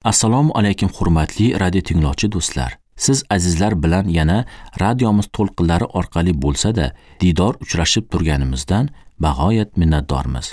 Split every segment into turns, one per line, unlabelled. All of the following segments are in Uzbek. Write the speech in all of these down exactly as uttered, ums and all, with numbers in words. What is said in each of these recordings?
Assalomu alaykum hurmatli radio tinglovchi do'stlar. Siz azizlar bilan yana radiomiz to'lqinlari orqali bo'lsa-da diydor uchrashib turganimizdan bag'oyat minnatdormiz.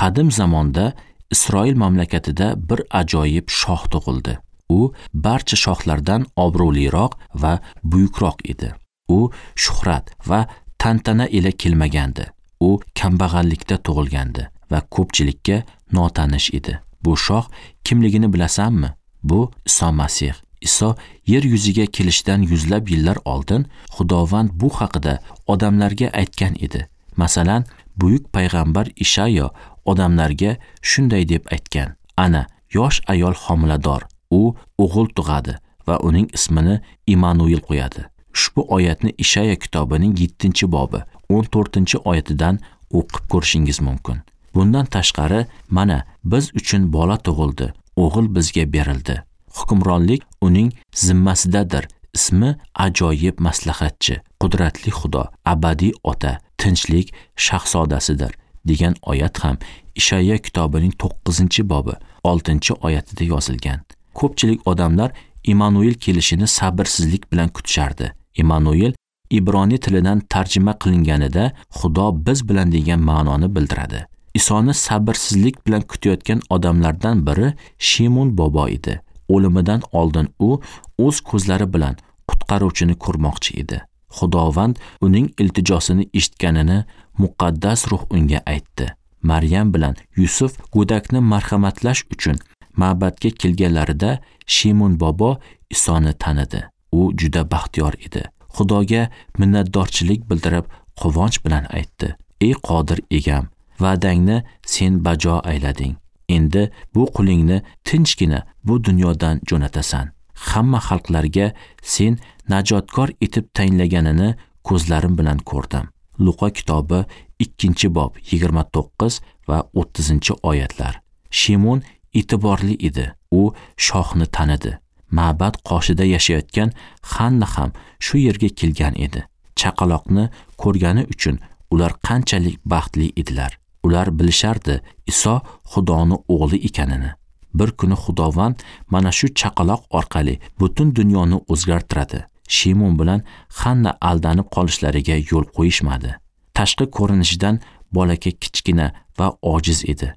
Qadim zamonda Isroil mamlakatida bir ajoyib shoh tug'ildi. U barcha shohlardan obro'liroq va buyukroq edi. U shuhrat va tantana ila kelmagandi. U kambag'allikda tug'ilgandi va ko'pchilikka notanish edi. Bu shoh kimligini bilasanmi? Bu Iso Masih. Iso yer yuziga kelishidan yuzlab yillar oldin Xudovand bu haqida odamlarga aytgan edi. Masalan, buyuk payg'ambar Ishayo odamlarga shunday deb aytgan: Ana, yosh ayol homilador, u o'g'il tug'adi va uning ismini Immanuel qo'yadi. Ushbu oyatni Ishayo kitobining yettinchi bobi o'n to'rtinchi oyatidan o'qib ko'rishingiz mumkin. Bundan tashqari, mana biz uchun bola tug'ildi, o'g'il bizga berildi. Hukmronlik uning zimmasidadir. Ismi ajoyib maslahatchi, qudratli Xudo, abadiy ota, tinchlik shahzodasidir degan oyat ham Ishayo kitobining to'qqizinchi bobi oltinchi oyatida yozilgan. Ko'pchilik odamlar Immanuel kelishini sabrsizlik bilan kutishardi. Immanuel Ibroniy tilidan tarjima qilinganida Xudo biz bilan degan ma'noni bildiradi. Isoni sabrsizlik bilan kutayotgan odamlardan biri Shimon bobo edi. O'limidan oldin u o'z ko'zlari bilan qutqaruvchini ko'rmoqchi edi. Xudovand uning iltijosini eshitganini muqaddas ruh unga aytdi. Maryam bilan Yusuf go'dakni marhamatlash uchun ma'badga kelganlarida Shimon bobo Isoni tanidi. U juda baxtiyor edi. Xudoga minnatdorchilik bildirib, quvonch bilan aytdi: "Ey qodir egam, va'dangni sen bajo aylading. Endi bu qulingni tinchgina bu dunyodan jo'natasan. Hamma xalqlarga sen najotkor etib tayinlaganini ko'zlarim bilan ko'rdim." Luqa kitobi ikkinchi bob yigirma to'qqiz va o'ttizinchi oyatlar. Shimon e'tiborli edi. U shohni tanidi. Ma'bad qoshida yashayotgan Hanna ham shu yerga kelgan edi. Chaqaloqni ko'rgani uchun ular qanchalik baxtli edilar. Ular bilishardi Iso Xudoni o'g'li ekanini. Bir kuni Xudovand mana shu chaqaloq orqali butun dunyoni o'zgartiradi. Shimon bilan Hanna aldanib qolishlariga yo'l qo'yishmadi. Tashqi ko'rinishidan bolaka kichkina va ojiz edi,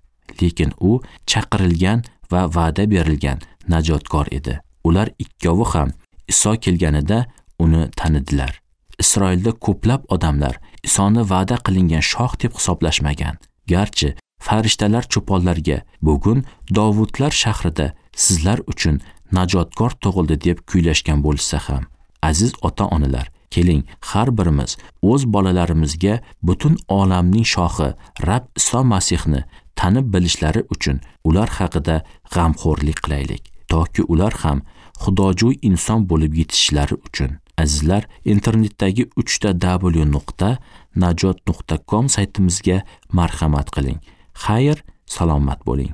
lekin u chaqirilgan va va'da berilgan najotkor edi. Ular ikkovi ham Iso kelganida uni tanidilar. Isroilda ko'plab odamlar Isoni va'da qilingan shoh deb hisoblashmagan. Garchi farishtalar cho'ponlarga bugun Dovudlar shahrida sizlar uchun najotkor tug'ildi deb kuylashgan bo'lsa ham, aziz ota-onalar, keling har birimiz o'z bolalarimizga butun olamning shohi Rab Iso Masihni tanib bilishlari uchun ular haqida g'amxo'rlik qilaylik, toki ular ham xudojo'y inson bo'lib yetishishlari uchun. Azizlar, internetdagi uch ta w nuqta najot nuqta com saytimizga marhamat qiling. Xayr, salomat bo'ling.